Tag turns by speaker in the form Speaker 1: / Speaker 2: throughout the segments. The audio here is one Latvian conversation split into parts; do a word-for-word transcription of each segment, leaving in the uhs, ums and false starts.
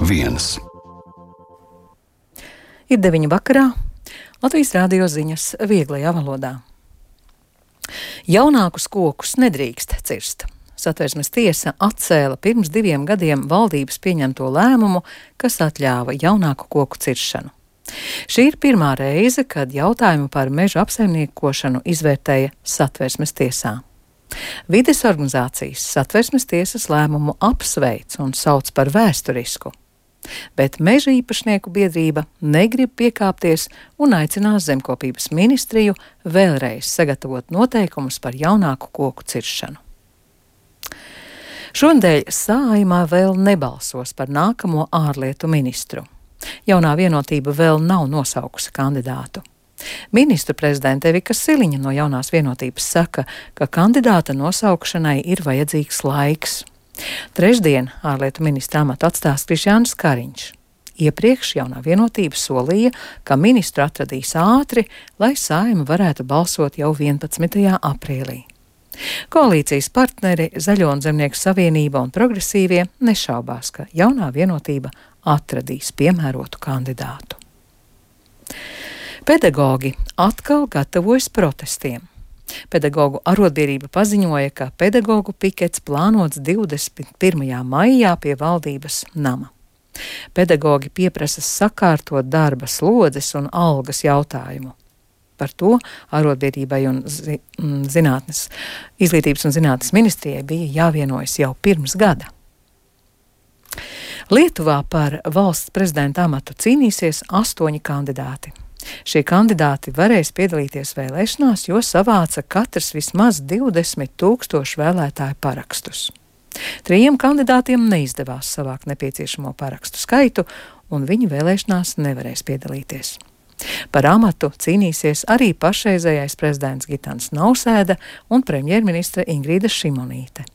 Speaker 1: viens.
Speaker 2: Ir deviņi vakarā, Latvijas Rādio ziņas vieglajā valodā. Jaunākus kokus nedrīkst cirst. Satversmes tiesa atcēla pirms diviem gadiem valdības pieņemto lēmumu, kas atļāva jaunāku koku ciršanu. Šī ir pirmā reize, kad jautājumu par mežu apsaimniekošanu izvērtēja Satversmes tiesā. Vides organizācijas Satversmes tiesas lēmumu apsveic un sauc par vēsturisku. Bet meža īpašnieku biedrība negrib piekāpties un aicinās zemkopības ministriju vēlreiz sagatavot noteikumus par jaunāku koku ciršanu. Šonadēļ Saeimā vēl nebalsos par nākamo ārlietu ministru. Jaunā vienotība vēl nav nosaukusi kandidātu. Ministru prezidente Evika Siliņa no jaunās vienotības saka, ka kandidāta nosaukšanai ir vajadzīgs laiks. Trešdien ārlietu ministra amatu atstās Krišjānis Kariņš. Iepriekš jaunā vienotība solīja, ka ministru atradīs ātri, lai Saeima varētu balsot jau vienpadsmitajā aprīlī. Koalīcijas partneri Zaļo un Zemnieku savienība un progresīvie nešaubās, ka jaunā vienotība atradīs piemērotu kandidātu. Pedagogi atkal gatavojas protestiem. Pedagogu arotbiedrība paziņoja, ka pedagogu pikets plānots divdesmit pirmajā maijā pie valdības nama. Pedagogi pieprasa sakārtot darba slodzes un algas jautājumu. Par to arotbiedrībai un zi, zinātnes, izglītības un zinātnes ministrijai bija jāvienojas jau pirms gada. Lietuvā par valsts prezidenta amatu cīnīsies astoņi kandidāti. Šie kandidāti varēs piedalīties vēlēšanās, jo savāca katrs vismaz divdesmit tūkstoši vēlētāju parakstus. Trījiem kandidātiem neizdevās savākt nepieciešamo parakstu skaitu, un viņi vēlēšanās nevarēs piedalīties. Par amatu cīnīsies arī pašreizējais prezidents Gitans Nausēda un premjerministre Ingrīda Šimonīte.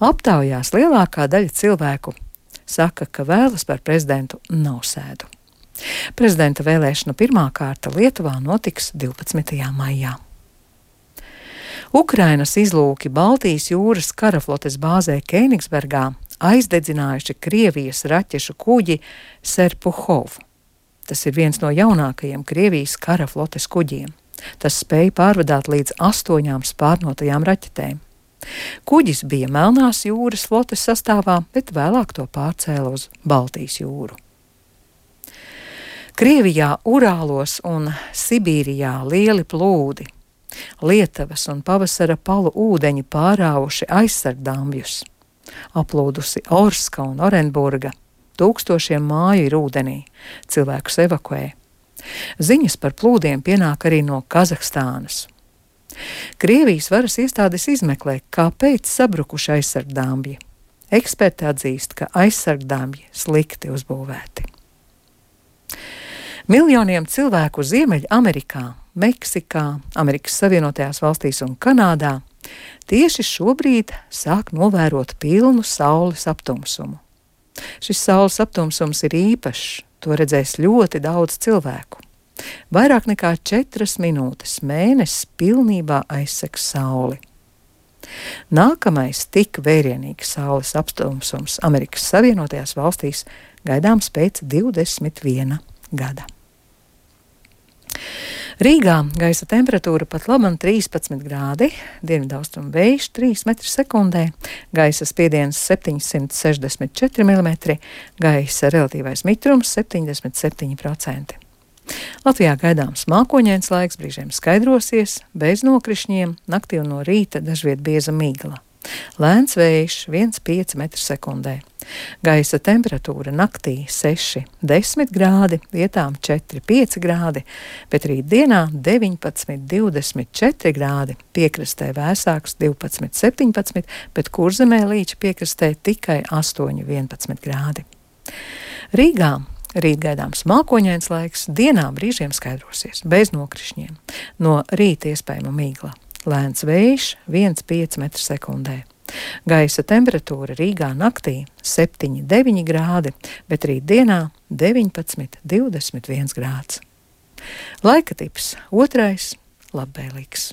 Speaker 2: Aptaujās lielākā daļa cilvēku saka, ka vēlas par prezidentu Nausēdu. Prezidenta vēlēšana pirmā kārta Lietuvā notiks divpadsmitajā maijā. Ukrainas izlūki Baltijas jūras karaflotes bāzē Kēnigsbergā aizdedzinājuši Krievijas raķešu kuģi Serpuhov. Tas ir viens no jaunākajiem Krievijas karaflotes kuģiem. Tas spēja pārvadāt līdz astoņām spārnotajām raķetēm. Kuģis bija Melnās jūras flotes sastāvā, bet vēlāk to pārcēla uz Baltijas jūru. Krievijā Urālos un Sibīrijā lieli plūdi. Lietavas un pavasara palu ūdeņi pārāvuši aizsargdambjus. Aplūdusi Orska un Orenburga. Tūkstošiem māju ir ūdenī. Cilvēkus evakuē. Ziņas par plūdiem pienāk arī no Kazahstānas. Krievijas varas iestādes izmeklē, kāpēc sabrukuši aizsargdambji. Eksperti atzīst, ka aizsargdambji slikti uzbūvēti. Miljoniem cilvēku Ziemeļamerikā, Meksikā, Amerikas Savienotajās valstīs un Kanādā tieši šobrīd sāk novērot pilnu saules aptumsumu. Šis saules aptumsums ir īpašs, to redzēs ļoti daudz cilvēku. Vairāk nekā četras minūtes mēnesis pilnībā aizsegs sauli. Nākamais tik vērienīgs saules aptumsums Amerikas Savienotajās valstīs gaidāms pēc divdesmit viena gada. Rīgā gaisa temperatūra pat labam trīspadsmit grādi, dienvidaustrumu vējš trīs metri sekundē, gaisa spiediens septiņsimt sešdesmit četri milimetri, gaisa relatīvais mitrums septiņdesmit septiņi procenti. Latvijā gaidāms mākoņains laiks, brīžiem skaidrosies, bez nokrišņiem, naktī un no rīta dažviet bieza migla. Lēns vējš viens komats pieci metri sekundē. Gaisa temperatūra naktī seši desmit grādi, vietām četri pieci grādi, bet rītdienā deviņpadsmit divdesmit četri grādi, piekrastē vēsāks divpadsmit septiņpadsmit, bet Kurzemē līča piekrastē tikai astoņi vienpadsmit grādi. Rīgā rīt gaidāms mākoņains laiks, dienā brīžiem skaidrosies, bez nokrišņiem. No rīta iespējama migla. Lēns vējš viens komats pieci metri sekundē. Gaisa temperatūra Rīgā naktī septiņi deviņi grādi, bet rītdienā deviņpadsmit divdesmit viens grāds. Laika tips otrais labvēlīgs.